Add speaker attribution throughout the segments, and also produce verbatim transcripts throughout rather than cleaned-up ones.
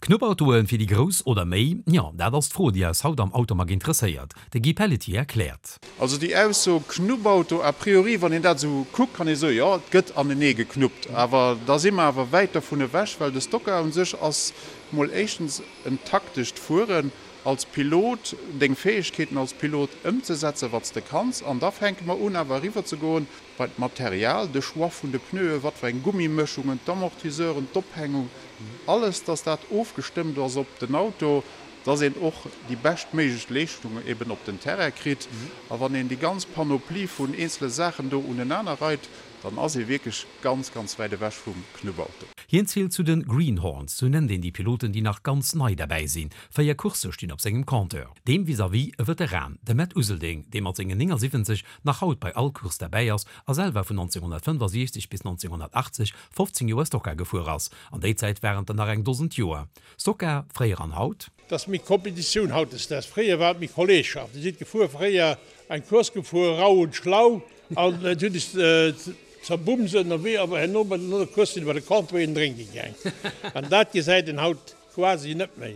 Speaker 1: Knuppautoe fir déi Grouss oder méi? Jo, dat ass d'Fro, déi eis haut am Automag interesséiert. De Guy Pelletier erkläert.
Speaker 2: Also déi Ausso Knuppauto, a priori, wann een dat esou kuckt, kann ee soen, jo, et gëtt anenee geknuppt. Awer da si mer awer wäit dovun ewech, well de Stocker u sech ass mol éischtens en taktescht Fueren als Pilot, deng Fäegkeeten als Pilot ëmzesetzen, wat s de kanns. An da fänke mer un awer eriwwer ze goen bei d'Material, de Choix vun de Pneuen, wat fir eng Gummimëschungen, d'Amortisseuren, d'Ophängung, alles, dass dat ofgestëmmt ass op den Auto, dass een och déi beschtméiglech Leeschtung eben op den Terrain kritt. A wann een déi ganz Panoplie vun eenzele Saachen do unenaner reit, dann ass ee wierklech ganz, ganz wäit ewech vum Knubbauto.
Speaker 1: Hien zielt zu den Greenhorns, sou nennt een déi Piloten, déi nach ganz nei derbäi sinn. Véier Coursse stinn op sengem Compteur. Deem vis-à-vis e Veteran, de Matt Uselding, dee mat sengen néngasiwwenzeg nach haut bei all Course derbäi ass a selwer vun nonzénghonnertfënnfasiechzeg bis nonzénghonnertachtzeg fofzéng Joer Stock-Car gefuer ass. An déi Zäit waren et der nach eng Dosend Joer. Stock-Car, fréier an haut?
Speaker 3: Et ass méi Kompetitioun hautdesdaags. Fréier war et méi Kolleegschaft. Dir sidd gefuer fréier, eng Course gefuer, rau und schlau, an et huet iech zerbumst ënnerwee, awer herno bei no der Course sidd der bei de Comptoir een drénke gaang. An dat gesäit een haut quasi net méi,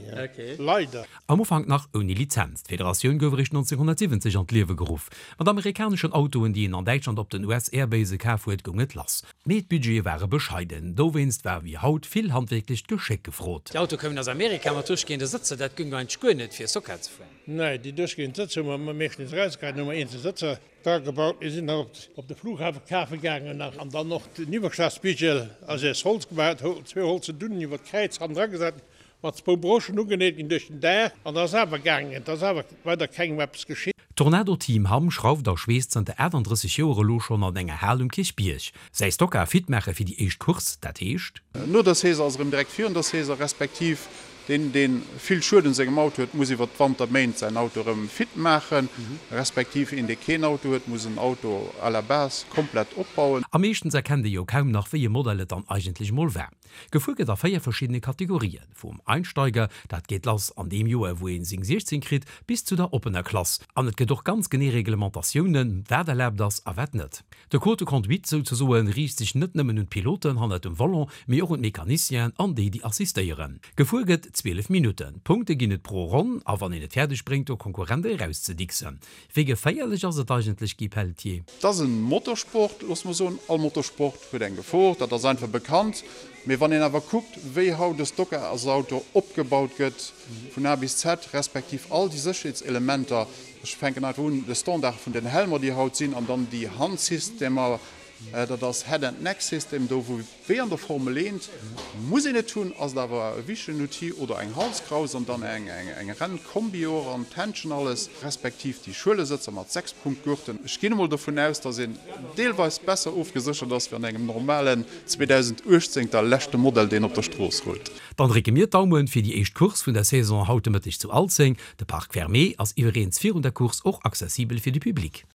Speaker 3: leider.
Speaker 1: Am Ufank nach ouni Lizenz, d'Federatioun gouf eréischt nonzénghonnertsiwwenzeg an d'Liewe geruff. Mat amerikaneschen Autoen, déi een an Däitschland op den U S-Airbase kaf huet, goung et lass. Mee d'Budgete ware bescheiden, dowéinst war wéi haut vill handwierklecht Geschéck gefrot.
Speaker 4: Déi Autoe koumen aus Amerika mat duerchgehende Sëtzer, dat goung eigentlech guer net fir Stock-Car ze fueren.
Speaker 3: Nee, déi duerchgehend Sëtzer hu mer meeschtens erausgeheit, hu mer eenzel Sëtzer dragebaut. Mir sinn nach op de Flughafe kafe gaangen nach an dann och den Iwwerschlagspigel ass aus Holz gemaach, zwee holze Dunnen iwwer d'Kräiz han dragesat, mat zwou Broschen ugeneet ginn duerch den Daach an da ass awer gaangen, et ass awer weider kengem eppes geschitt.
Speaker 1: D'Tornado Team Hamm schrauft a schweesst zanter aachtanddrësseg Joer elo schonn an enger Hal um Kierchbierg. Säi Stock-Car fit maache fir déi éischt Course, dat heescht.
Speaker 2: No der Saison ass erëm direkt virun der Saison, respektiv deen, dee vill Schued un sengem Auto huet, muss iwwer d'Wanterméint säin Auto erëm fit maachen, respektiv een, dee keen Auto huet, muss en Auto à la base komplett opbauen.
Speaker 1: A meeschtens erkennt ee jo kaum nach, wéi e Modell et dann eigentlech mol war. Gefuer gëtt a véier verschiddene Kategorien, vum Einsteiger, dat geet lass an deem Joer, wou ee seng siechzéng kritt, bis zu der oppener Klass. An et gëtt och ganz genee Reglementatiounen, wat erlaabt ass a wat net. De Code de conduite souzesoen riicht sech net nëmmen un d'Piloten hannert dem Volant, mee och un d'Mecanicienen an déi, déi assistéieren. Gefuer gëtt zwielef Minutten, Punkte ginn et pro Ronn a wann een et fäerdeg bréngt, de Konkurrent erauszedicksen. Wéi geféierlech ass et eigentlech, Guy Pelletier?
Speaker 2: Et ass e Motorsport, loosse mer soen. All Motorsport huet eng Gefor, dat ass einfach bekannt. Mee wann een awer kuckt, wéi haut e Stock-Cars-Auto opgebaut gëtt, vun A bis Z, respektiv all déi Sécherheetselementer, ech fänken einfach un, de Standard vun den Helmer, déi haut sinn, an dann déi Handsystemer, dat ass Head and Neck System, do wou wéi an der Formel eent, muss een et hunn, ass et awer e wichtegen Outil, oder eng Halskraus an dann eng eng Rennkombi och an d'Händschen, alles, respektiv déi Schuelesëtzer mat Sechspunktgurten. Ech ginn emol dovun aus, dass een deelweis besser ofgeséchert ass wéi an engem normalen zweedausenduechtzéng der leschte Modell, deen op der Strooss rullt.
Speaker 1: Dann drécke mir d'Daumen fir déi éischt Course vun der Saison haut de Mëtteg zu Alzeng. De Parc Fermé ass iwwereens virun der Course och accessibel fir de Public.